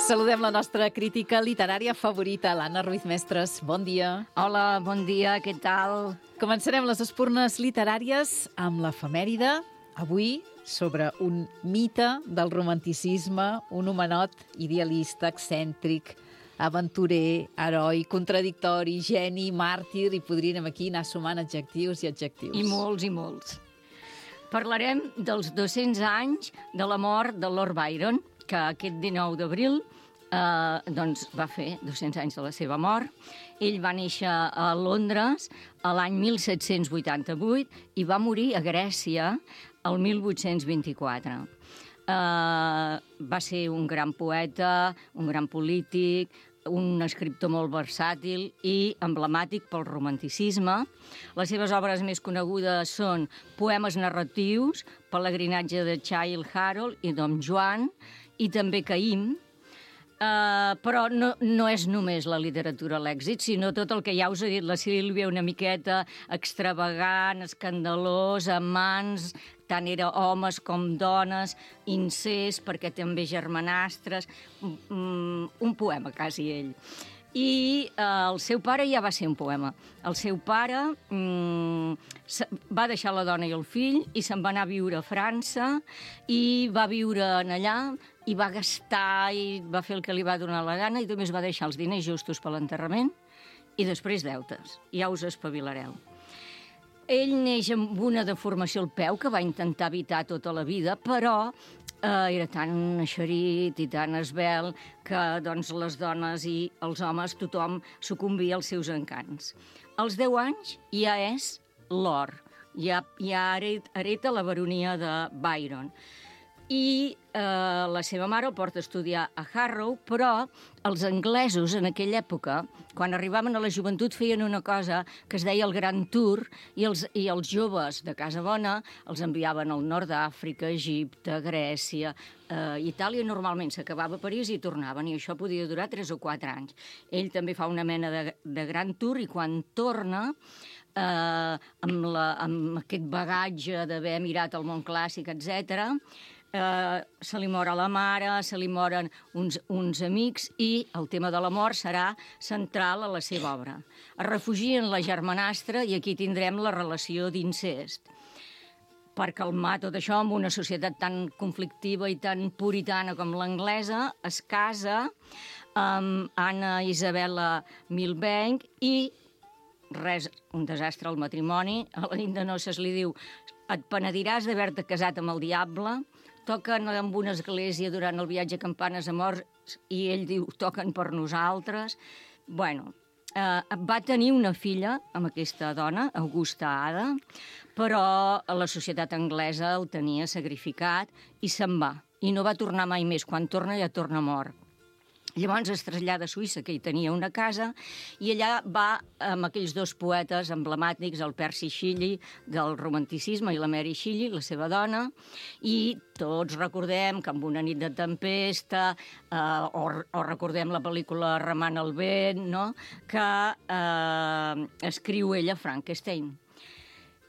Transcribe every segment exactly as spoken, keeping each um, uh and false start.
Saludem la nostra crítica literària favorita, l'Anna Ruiz Mestres. Bon dia. Hola, bon dia, què tal? Començarem les espurnes literàries amb l'efemèride. Avui, sobre un mite del romanticisme, un homenot idealista, excèntric, aventurer, heroi, contradictori, geni, màrtir, i podríem aquí anar sumant adjectius i adjectius. I molts i molts. Parlarem dels dos-cents anys de la mort de Lord Byron, que aquest dinou d'abril eh, doncs va fer dos-cents anys de la seva mort. Ell va néixer a Londres a l'any mil set-cents vuitanta-vuit i va morir a Grècia el mil vuit-cents vint-i-quatre. Uh, va ser un gran poeta, un gran polític, un escriptor molt versàtil i emblemàtic pel romanticisme. Les seves obres més conegudes són poemes narratius, Pelegrinatge de Childe Harold i Dom Joan, i també Caïm. Uh, però no, no és només la literatura l'èxit, sinó tot el que ja us ha dit la Sílvia, una miqueta extravagant, escandalós, amants, tant era homes com dones, incest, perquè també germanastres, um, un poema quasi ell. I uh, el seu pare ja va ser un poema. El seu pare um, va deixar la dona i el fill i se'n va anar a viure a França i va viure en allà i va gastar i va fer el que li va donar la gana i només va deixar els diners justos per l'enterrament i després deutes. Ja us espavilareu. Ell neix amb una deformació al peu que va intentar evitar tota la vida, però eh, era tan eixerit i tan esvelt que doncs, les dones i els homes, tothom sucumbia als seus encants. Als deu anys ja és Lord, ja, ja hereta la baronia de Byron. I eh, la seva mare el porta a estudiar a Harrow, però els anglesos en aquella època, quan arribaven a la joventut, feien una cosa que es deia el Gran Tour, i els, i els joves de casa bona els enviaven al nord d'Àfrica, Egipte, Grècia, eh, Itàlia, normalment s'acabava a París i tornaven, i això podia durar tres o quatre anys. Ell també fa una mena de, de Gran Tour, i quan torna, eh, amb, la, amb aquest bagatge d'haver mirat el món clàssic, etcètera, Uh, se li mor a la mare, se li moren uns, uns amics i el tema de la mort serà central a la seva obra. Es refugia en la germanastra i aquí tindrem la relació d'incest. Per calmar tot això amb una societat tan conflictiva i tan puritana com l'anglesa, es casa amb Anna Isabella Milbank i res, un desastre al matrimoni. A la nit de noces li diu: et penediràs d'haver-te casat amb el diable. Toquen en una església durant el viatge a Campanes a morts i ell diu, toquen per nosaltres. Bueno, eh, va tenir una filla amb aquesta dona, Augusta Ada, però la societat anglesa el tenia sacrificat i se'n va. I no va tornar mai més. Quan torna ja torna mort. Llavors es trasllada a Suïssa, que hi tenia una casa, i allà va amb aquells dos poetes emblemàtics, el Percy Shelley del romanticisme i la Mary Shelley, la seva dona, i tots recordem que amb una nit de tempesta, eh, o, o recordem la pel·lícula Remant el vent, no?, que eh, escriu ella Frankenstein.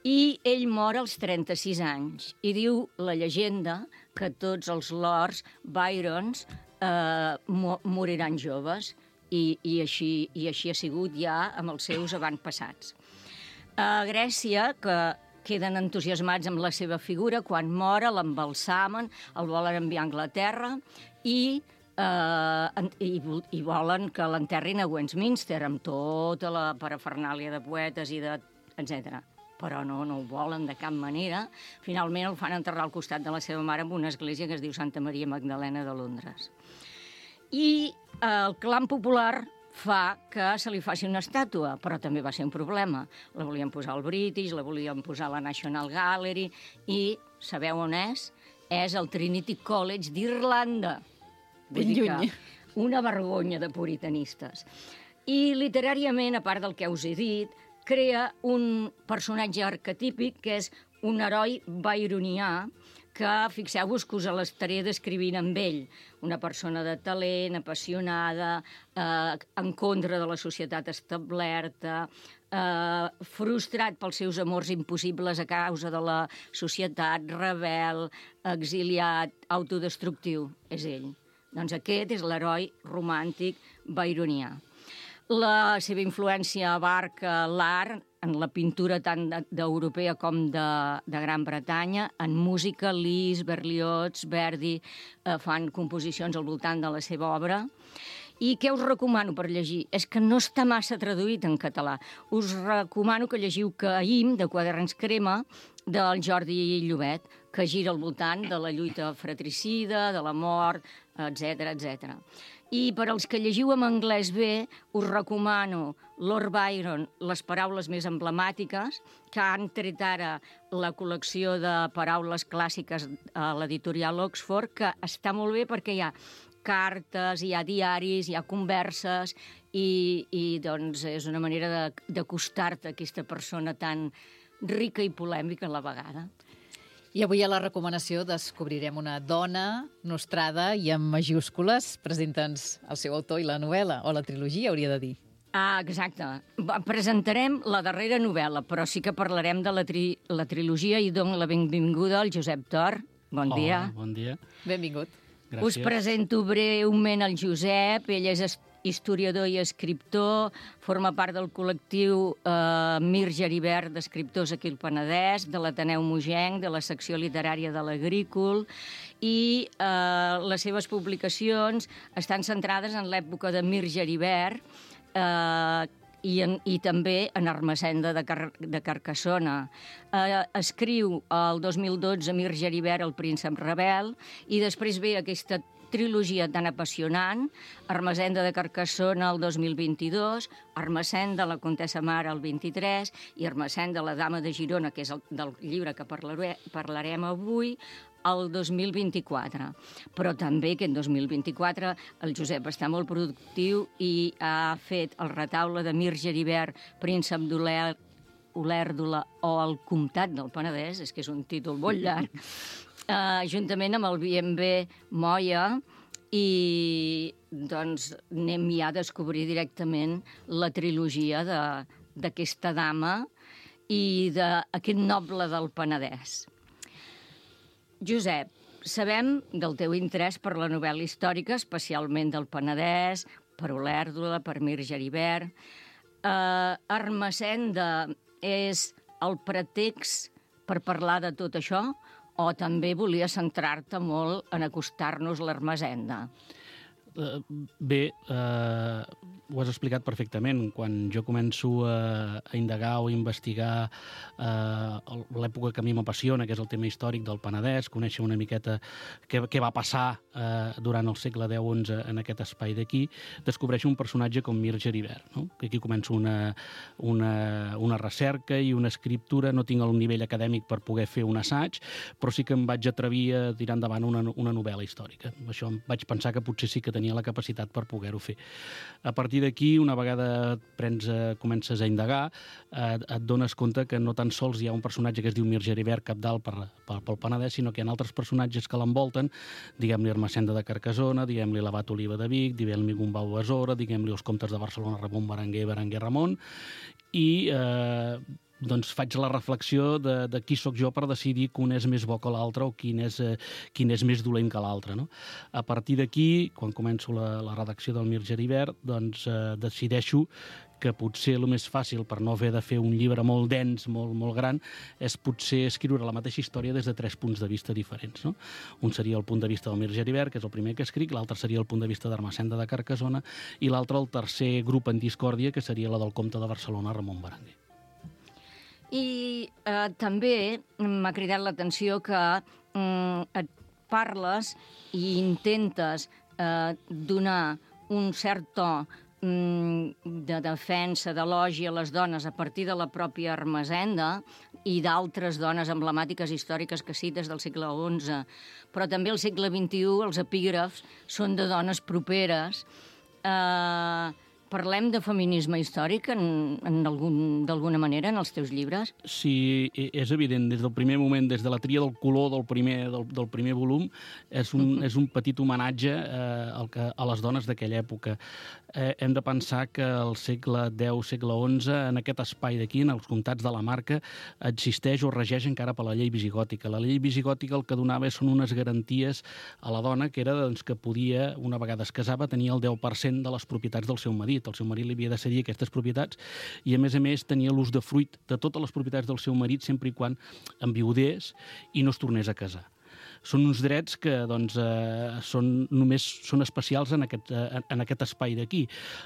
I ell mor als trenta-sis anys, i diu la llegenda que tots els lords Byrons Uh, mo moriran joves i, i, així, i així ha sigut ja amb els seus avantpassats. A Grècia, que queden entusiasmats amb la seva figura, quan mora l'embalsamen, el volen enviar a Anglaterra i, uh, i, i volen que l'enterrin a Westminster amb tota la parafernàlia de poetes i de etcètera. Però no, no ho volen de cap manera. Finalment el fan enterrar al costat de la seva mare en una església que es diu Santa Maria Magdalena de Londres. I el clam popular fa que se li faci una estàtua, però també va ser un problema. La volien posar al British, la volien posar a la National Gallery, i sabeu on és? És el Trinity College d'Irlanda. Ben lluny. Una vergonya de puritanistes. I literàriament, a part del que us he dit, crea un personatge arquetípic que és un heroi byronià que, fixeu-vos que us l'estaré descrivint amb ell. Una persona de talent, apassionada, eh, en contra de la societat establerta, eh, frustrat pels seus amors impossibles a causa de la societat, rebel, exiliat, autodestructiu. És ell. Doncs aquest és l'heroi romàntic byronià. La seva influència abarca l'art, en la pintura tant d'europea com de, de Gran Bretanya, en música, Liszt, Berlioz, Verdi eh, fan composicions al voltant de la seva obra. I què us recomano per llegir? És que no està massa traduït en català. Us recomano que llegiu Caïm, de Quaderns Crema, del Jordi Llobet, que gira al voltant de la lluita fratricida, de la mort, etcètera, etcètera. I per als que llegiu en anglès bé, us recomano Lord Byron, les paraules més emblemàtiques, que han tret ara la col·lecció de paraules clàssiques a l'editorial Oxford, que està molt bé perquè hi ha cartes, hi ha diaris, hi ha converses, i, i doncs és una manera d'acostar-te a aquesta persona tan rica i polèmica a la vegada. I avui a la recomanació descobrirem una dona nostrada i amb majúscules. Presenta'ns el seu autor i la novel·la, o la trilogia, hauria de dir. Ah, exacte. Presentarem la darrera novel·la, però sí que parlarem de la, tri la trilogia i dono la benvinguda al Josep Tor. Bon dia. Hola, bon dia. Benvingut. Gràcies. Us presento breument el Josep. Ell és historiador i escriptor, forma part del col·lectiu eh, Mir Geribert d'escriptors aquí al Penedès, de l'Ateneu Mogenc, de la secció literària de l'Agrícol, i eh, les seves publicacions estan centrades en l'època de Mir Geribert, eh, I, en, i també en Ermessenda de, Car de Carcassona. Eh, escriu el dos mil dotze Mir Geribert, el príncep rebel, i després ve aquesta trilogia tan apassionant, Ermessenda de Carcassona el dos mil vint-i-dos, Ermessenda, la Comtessa Mare el vint-i-tres, i Ermessenda, la Dama de Girona, que és el del llibre que parlaré, parlarem avui, el dos mil vint-i-quatre. Però també aquest dos mil vint-i-quatre el Josep està molt productiu i ha fet el retaule de Mir Geribert, príncep d'Olèrdola o el comtat del Penedès, és que és un títol molt llarg, Uh, juntament amb el B and B Moya, i doncs anem ja a descobrir directament la trilogia d'aquesta dama i d'aquest noble del Penedès. Josep, sabem del teu interès per la novel·la històrica, especialment del Penedès, per Olèrdola, per Mir Geribert. Uh, Ermessenda és el pretext per parlar de tot això, o també volia centrar-te molt en acostar-nos l'Ermessenda? Uh, bé, uh, ho has explicat perfectament. Quan jo començo a, a indagar o a investigar uh, l'època que a mi m'apassiona, que és el tema històric del Penedès, conèixer una miqueta què, què va passar uh, durant el segle deu onze en aquest espai d'aquí, descobreixo un personatge com Mir Geribert, no? Que aquí començo una, una, una recerca i una escriptura. No tinc el nivell acadèmic per poder fer un assaig, però sí que em vaig atrevir a tirar endavant una, una novel·la històrica. Això em vaig pensar que potser sí que tenia la capacitat per poder-ho fer. A partir d'aquí, una vegada prens, eh, comences a indagar, eh, et dones compte que no tan sols hi ha un personatge que es diu Mir Geribert capdalt per, per, pel Penedès, sinó que hi ha altres personatges que l'envolten, diguem-li Ermessenda de Carcassona, diguem-li l'Abat Oliva de Vic, diguem-li Gombau Besora, diguem-li els comtes de Barcelona, Ramon Berenguer, Berenguer Ramon, i eh, doncs faig la reflexió de, de qui sóc jo per decidir que un és més bo que l'altre o quin és, eh, quin és més dolent que l'altre, no? A partir d'aquí, quan començo la, la redacció del Mir Geribert, doncs eh, decideixo que potser el més fàcil, per no haver de fer un llibre molt dens, molt, molt gran, és potser escriure la mateixa història des de tres punts de vista diferents, no? Un seria el punt de vista del Mir Geribert, que és el primer que escric, l'altre seria el punt de vista d'Ermessenda de Carcassona, i l'altre el tercer grup en discòrdia, que seria la del comte de Barcelona, Ramon Berenguer. I eh, també m'ha cridat l'atenció que mm, et parles i intentes eh, donar un cert to mm, de defensa, d'elogi a les dones a partir de la pròpia Ermessenda i d'altres dones emblemàtiques històriques que cites del segle onze. Però també al segle vint-i-u els epígrafs són de dones properes, eh, Parlem de feminisme històric en, en algun, d'alguna manera en els teus llibres? Sí, és evident. Des del primer moment, des de la tria del color del primer, del, del primer volum, és un, uh-huh. és un petit homenatge eh, al que, a les dones d'aquella època. Eh, hem de pensar que al segle deu, segle onze, en aquest espai d'aquí, en els comtats de la Marca, existeix o regeix encara per la llei visigòtica. La llei visigòtica el que donava són unes garanties a la dona, que era doncs, que podia, una vegada es casava, tenir el deu per cent de les propietats del seu marit. El seu marit li havia de cedir aquestes propietats i, a més a més, tenia l'ús de fruit de totes les propietats del seu marit sempre i quan enviudés i no es tornés a casar. Són uns drets que doncs, eh, són, només són especials en aquest, eh, en aquest espai d'aquí.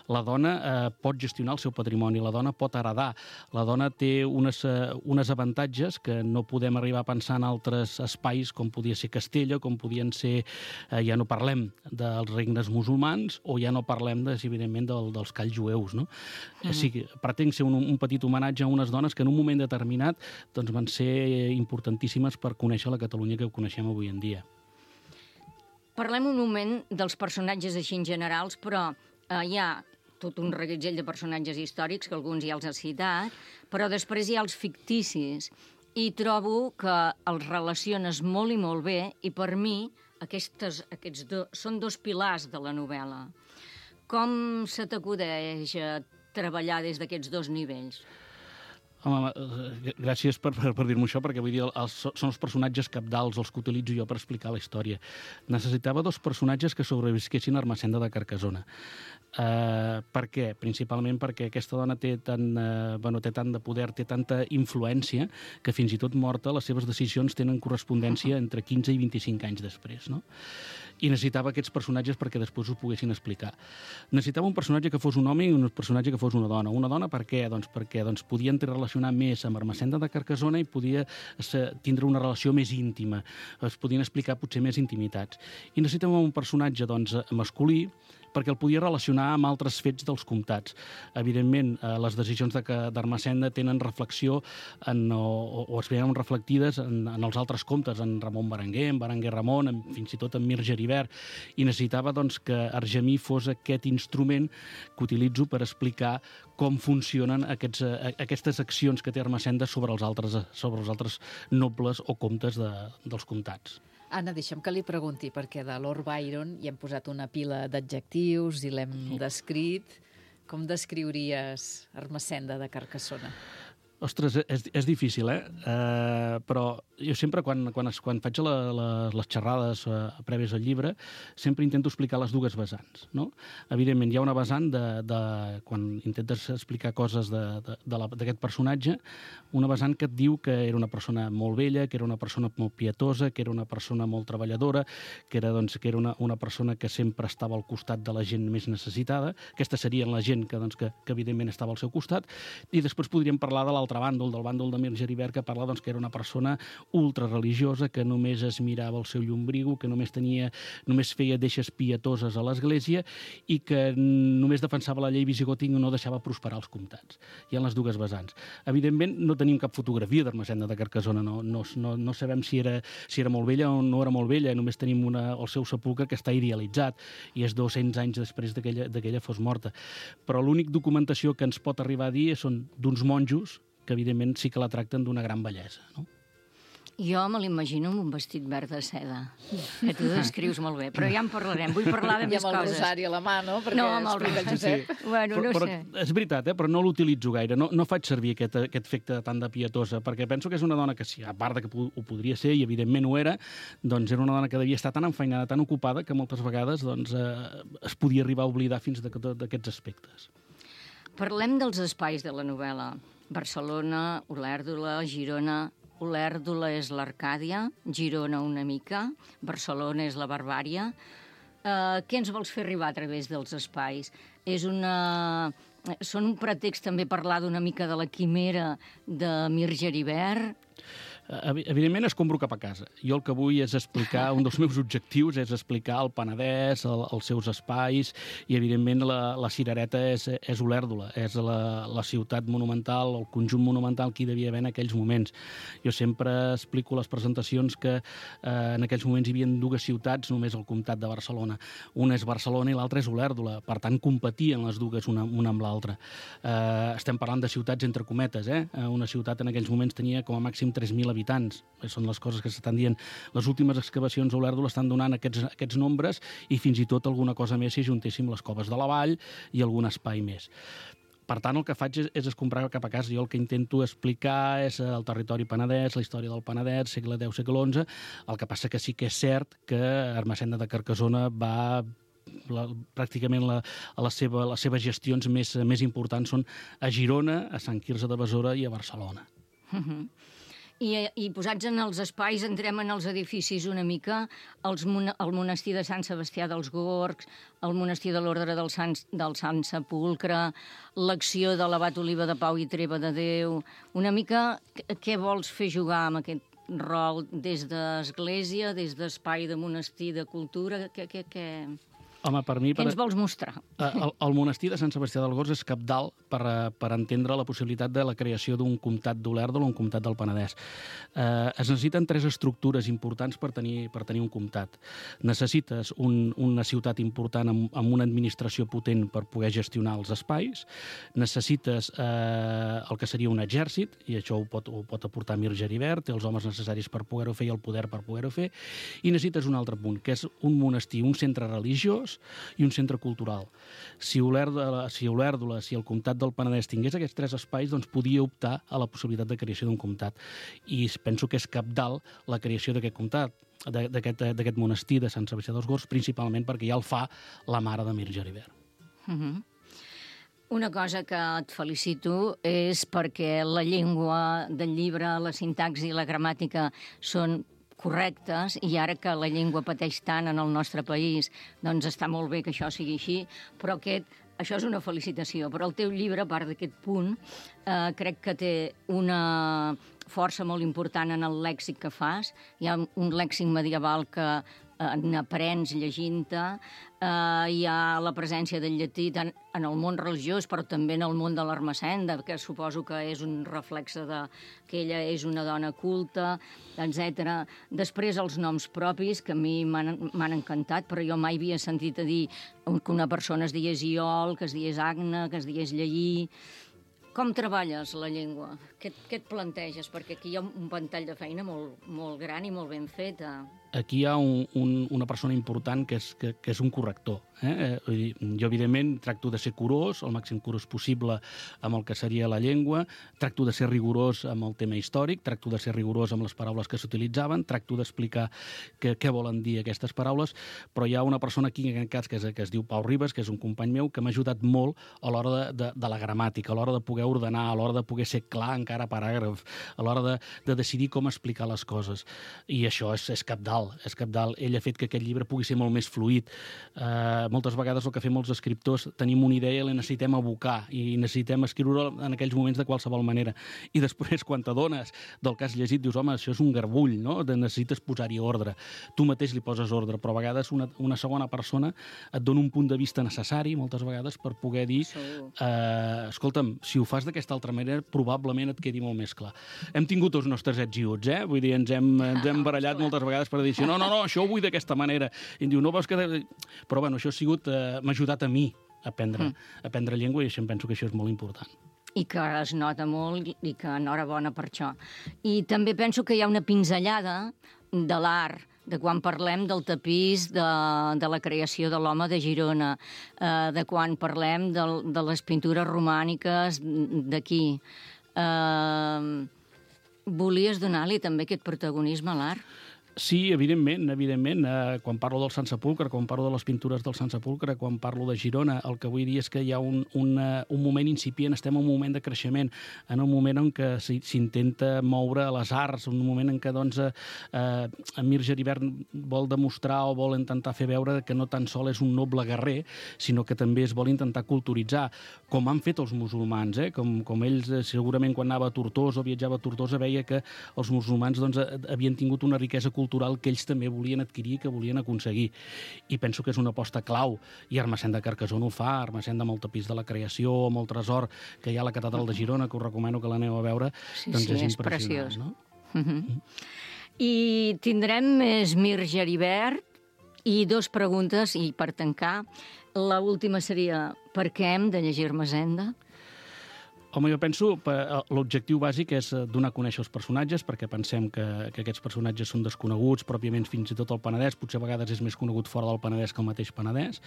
La dona eh, pot gestionar el seu patrimoni, la dona pot heredar, la dona té unes, eh, unes avantatges que no podem arribar a pensar en altres espais, com podia ser Castella, com podien ser, eh, ja no parlem dels regnes musulmans, o ja no parlem, de, evidentment, del, dels calls jueus. No? Mm. O sigui, pretenc ser un, un petit homenatge a unes dones que en un moment determinat doncs, van ser importantíssimes per conèixer la Catalunya que coneixem avui en dia. Parlem un moment dels personatges així en generals, però eh, hi ha tot un reguitzell de personatges històrics, que alguns ja els has citat, però després hi ha els ficticis, i trobo que els relaciones molt i molt bé, i per mi aquestes, aquests do, són dos pilars de la novel·la. Com se t'acudeix a treballar des d'aquests dos nivells? Home, gràcies per, per, per dir-m'ho això, perquè vull dir, els, són els personatges cabdals els que utilitzo jo per explicar la història. Necessitava dos personatges que sobrevisquessin a Ermessenda de Carcassona. Uh, per què? Principalment perquè aquesta dona té tant, uh, bueno, té tant de poder, té tanta influència, que fins i tot morta les seves decisions tenen correspondència entre quinze i vint-i-cinc anys després, no? I necessitava aquests personatges perquè després ho poguessin explicar. Necessitava un personatge que fos un home i un personatge que fos una dona. Una dona per què? Doncs perquè doncs, podien relacionar més amb Ermessenda de Carcassona i podia tindre una relació més íntima. Es podien explicar potser més intimitats. I necessitàvem un personatge doncs, masculí, perquè el podia relacionar amb altres fets dels comtats. Evidentment, eh, les decisions d'Ermessenda tenen reflexió en, o, o es veien reflectides en, en els altres comtes, en Ramon Berenguer, en Berenguer Ramon, en, fins i tot en Mir Geribert, i necessitava doncs, que Argemí fos aquest instrument que utilitzo per explicar com funcionen aquests, eh, aquestes accions que té Ermessenda sobre els altres, sobre els altres nobles o comtes de, dels comtats. Anna, deixa'm que li pregunti, perquè de Lord Byron hi hem posat una pila d'adjectius i l'hem descrit. Com descriuries Ermessenda de Carcassona? Ostres, és, és difícil, eh? Uh, però jo sempre, quan, quan, quan faig la, la, les xerrades uh, prèvies al llibre, sempre intento explicar les dues vessants, no? Evidentment, hi ha una vessant de, de quan intentes explicar coses d'aquest personatge, una vessant que et diu que era una persona molt vella, que era una persona molt pietosa, que era una persona molt treballadora, que era, doncs, que era una, una persona que sempre estava al costat de la gent més necessitada. Aquesta seria la gent que, doncs, que, que evidentment estava al seu costat. I després podríem parlar de l'altre bàndol, del bàndol de Mir Geribert, que parla doncs, que era una persona ultrareligiosa, que només es mirava el seu llombriu, que només tenia, només feia deixes pietoses a l'església i que només defensava la llei visigòtica i no deixava prosperar els comtats. Hi ha les dues vessants. Evidentment, no tenim cap fotografia d'Ermessenda de Carcassona, no, no, no, no sabem si era, si era molt vella o no era molt vella, només tenim una, el seu sepulcre que està idealitzat i és dos-cents anys després que ella fos morta. Però l'únic documentació que ens pot arribar a dir són d'uns monjos que evidentment sí que la tracten d'una gran bellesa, no? Jo me l'imagino amb un vestit verd de seda, que tu descrius molt bé, però ja en parlarem. Vull parlar de més coses. I amb el rosari a la mà, no? Perquè no, amb el rosari. Josep. Sí. Bueno, no però, sé. Però, és veritat, eh? Però no l'utilitzo gaire. No, no faig servir aquest, aquest efecte tan de pietosa, perquè penso que és una dona que, sí, a part de que ho podria ser, i evidentment ho era, doncs era una dona que devia estar tan enfeinada, tan ocupada, que moltes vegades doncs, eh, es podia arribar a oblidar fins d'aquests aspectes. Parlem dels espais de la novel·la. Barcelona, Olèrdola, Girona. Olèrdola és l'Arcàdia, Girona una mica, Barcelona és la barbària. Uh, què ens vols fer arribar a través dels espais? És una... Són un pretext també parlar d'una mica de la quimera de Mir Geribert? Evidentment, escombro cap a casa. Jo el que vull és explicar, un dels meus objectius és explicar el Penedès, el, els seus espais, i evidentment la, la cirereta és, és Olèrdola, és la, la ciutat monumental, el conjunt monumental que hi devia haver en aquells moments. Jo sempre explico a les presentacions que eh, en aquells moments hi havia dues ciutats, només al comtat de Barcelona. Una és Barcelona i l'altra és Olèrdola. Per tant, competien les dues una, una amb l'altra. Eh, estem parlant de ciutats entre cometes, eh? Una ciutat en aquells moments tenia com a màxim tres mil habitants. Són les coses que s'estan dient. Les últimes excavacions a Olèrdola estan donant aquests, aquests nombres i fins i tot alguna cosa més si juntéssim les coves de la vall i algun espai més. Per tant, el que faig és, és escombrar cap a casa. Jo el que intento explicar és el territori penedès, la història del Penedès, segle deu, segle onze. El que passa que sí que és cert que Ermessenda de Carcassona va... La, pràcticament la, a la seva, les seves gestions més, més importants són a Girona, a Sant Quirze de Besora i a Barcelona. Uh-huh. I, I posats en els espais, entrem en els edificis una mica, els, el monestir de Sant Sebastià dels Gorgs, el monestir de l'Ordre del Sant, del Sant Sepulcre, l'acció de l'abat Oliva de Pau i Treva de Déu... Una mica, què vols fer jugar amb aquest rol des d'església, des d'espai de monestir, de cultura? Què... què, què... Home, per mi... Què ens vols mostrar? El, el monestir de Sant Sebastià dels Gorgs és cabdal per, per entendre la possibilitat de la creació d'un comtat d'Olèrdola o un comtat del Penedès. Eh, es necessiten tres estructures importants per tenir, per tenir un comtat. Necessites un, una ciutat important amb, amb una administració potent per poder gestionar els espais. Necessites eh, el que seria un exèrcit, i això ho pot, ho pot aportar Mir Geribert, té els homes necessaris per poder-ho fer i el poder per poder-ho fer. I necessites un altre punt, que és un monestir, un centre religiós i un centre cultural. Si Olèrdola, si Olèrdola, si el comtat del Penedès tingués aquests tres espais, doncs podia optar a la possibilitat de creació d'un comtat. I penso que és cabdal la creació d'aquest comtat, d'aquest monestir de Sant Sebastià dels Gorgs, principalment perquè ja el fa la mare de Mir Geribert. Uh-huh. Una cosa que et felicito és perquè la llengua del llibre, la sintaxi i la gramàtica són correctes, i ara que la llengua pateix tant en el nostre país, doncs està molt bé que això sigui així, però aquest, això és una felicitació. Però el teu llibre, a part d'aquest punt, eh, crec que té una força molt important en el lèxic que fas. Hi ha un lèxic medieval que eh, n'aprens llegint-te, eh, hi ha la presència del llatí tant en el món religiós, però també en el món de l'Ermessenda, que suposo que és un reflexe de que ella és una dona culta, etcètera. Després els noms propis, que a mi m'han encantat, però jo mai havia sentit a dir que una persona es digués Iol, que es digués Agna, que es digués Lleí. Com treballes la llengua? Què, què et planteges? Perquè aquí hi ha un ventall de feina molt, molt gran i molt ben feta. Aquí hi ha un, un, una persona important que és, que, que és un corrector. Eh? Vull dir, jo, evidentment, tracto de ser curós, el màxim curós possible amb el que seria la llengua, tracto de ser rigorós amb el tema històric, tracto de ser rigorós amb les paraules que s'utilitzaven, tracto d'explicar què, què volen dir aquestes paraules, però hi ha una persona aquí, en aquest cas, que es, que es diu Pau Ribas, que és un company meu, que m'ha ajudat molt a l'hora de, de, de la gramàtica, a l'hora de poder ordenar, a l'hora de poder ser clar encara paràgraf, a l'hora de, de decidir com explicar les coses. I això és, és cabdal, és cabdal. Ell ha fet que aquest llibre pugui ser molt més fluid. Eh, moltes vegades el que fem els escriptors, tenim una idea i la necessitem abocar i necessitem escriure en aquells moments de qualsevol manera. I després, quan t'adones del que has llegit, dius, home, això és un garbull, no? De necessites posar-hi ordre. Tu mateix li poses ordre, però a vegades una, una segona persona et dona un punt de vista necessari, moltes vegades, per poder dir, eh, escolta'm, si ho fas d'aquesta altra manera, probablement et quedi molt més clar. Hem tingut els nostres ets i uts, eh? Vull dir, ens hem, ens hem barallat moltes vegades per dir, no, no, no, això ho vull d'aquesta manera. I em diu, no veus que... Però, bueno, això ha sigut, eh, m'ha ajudat a mi a aprendre, mm. a aprendre llengua, i això em penso que això és molt important. I que es nota molt i que enhorabona per això. I també penso que hi ha una pinzellada de l'art, de quan parlem del tapís de, de la creació de l'home de Girona, eh, de quan parlem de, de les pintures romàniques d'aquí. Eh, volies donar-li també aquest protagonisme a l'art? Sí, evidentment, evidentment. Eh, quan parlo del Sant Sepulcre, quan parlo de les pintures del Sant Sepulcre, quan parlo de Girona, el que vull dir és que hi ha un, un, un moment incipient, estem en un moment de creixement, en un moment en què s'intenta moure les arts, un moment en què doncs, eh, Emir Geribert vol demostrar o vol intentar fer veure que no tan sol és un noble guerrer, sinó que també es vol intentar culturitzar, com han fet els musulmans, eh? com, com ells eh, segurament quan anava a Tortosa o viatjava a Tortosa veia que els musulmans doncs, havien tingut una riquesa cultural cultural que ells també volien adquirir, que volien aconseguir. I penso que és una aposta clau. I Ermessend de Carcassona ho fa, Ermessend amb el tapís de la creació, amb el tresor que hi ha a la catedral de Girona, que us recomano que l'aneu a veure, sí, doncs sí, és és impressionant. preciós. No? Uh -huh. Mm. I tindrem Emir Geribert i dos preguntes, i per tancar, la última seria per què hem de llegir Ermessenda? Home, jo penso que l'objectiu bàsic és donar a conèixer els personatges, perquè pensem que, que aquests personatges són desconeguts, pròpiament fins i tot al Penedès, potser a vegades és més conegut fora del Penedès que el mateix Penedès.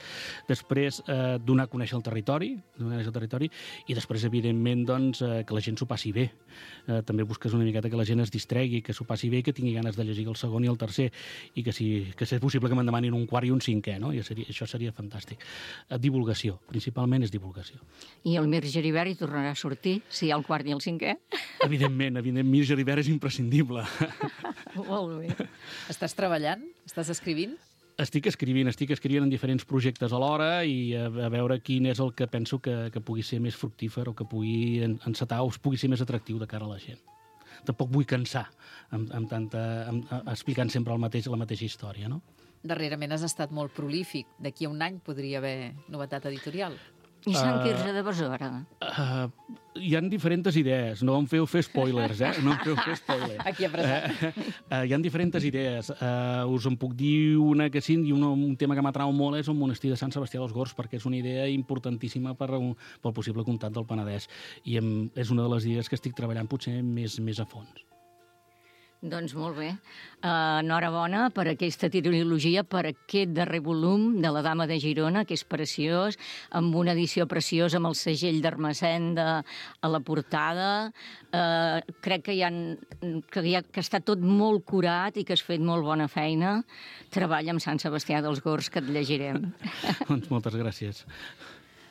Després, eh, donar a conèixer el territori, donar a conèixer el territori, i després, evidentment, doncs, eh, que la gent s'ho passi bé. Eh, també busques una miqueta que la gent es distregui, que s'ho passi bé i que tingui ganes de llegir el segon i el tercer, i que, si, que si és possible que me'n demanin un quart i un cinquè, no? I seria, això seria fantàstic. Eh, divulgació, principalment és divulgació. I el Emir Geribert hi tornarà a sortir, si hi ha el quart i el cinquè? Evidentment, evidentment, Emir Geribert és imprescindible. Molt bé. Estàs treballant? Estàs escrivint? Estic escrivint, estic escrivint en diferents projectes alhora i a, a veure quin és el que penso que, que pugui ser més fructífer o que pugui encetar o pugui ser més atractiu de cara a la gent. Tampoc vull cansar amb, amb tanta, amb, explicant sempre el mateix, la mateixa història, no? Darrerament has estat molt prolífic. D'aquí a un any podria haver novetat editorial. I Sant Quirze de Besora? Uh, hi ha diferents idees. No em feu fer spoilers, eh? No em feu fer spoilers. Aquí apressat. Uh, uh, hi ha diferents idees. Uh, us en puc dir una que sí, i un, un tema que m'atrau molt és el monestir de Sant Sebastià dels Gors, perquè és una idea importantíssima per, pel possible comtat del Penedès. I em, és una de les idees que estic treballant potser més, més a fons. Doncs molt bé. Uh, enhorabona per aquesta trilogia, per aquest darrer volum de La Dama de Girona, que és preciós, amb una edició preciosa, amb el segell d'Ermessenda a la portada. Uh, crec que, hi ha, que, hi ha, que està tot molt curat i que has fet molt bona feina. Treballa amb Sant Sebastià dels Gors, que et llegirem. Doncs moltes gràcies.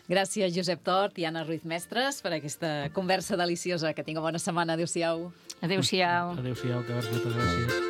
Gràcies, Josep Tort i Anna Ruiz Mestres, per aquesta conversa deliciosa. Que tinga bona setmana. Adéu-siau. Adéu-siau. Adéu-siau, que vas, moltes gràcies.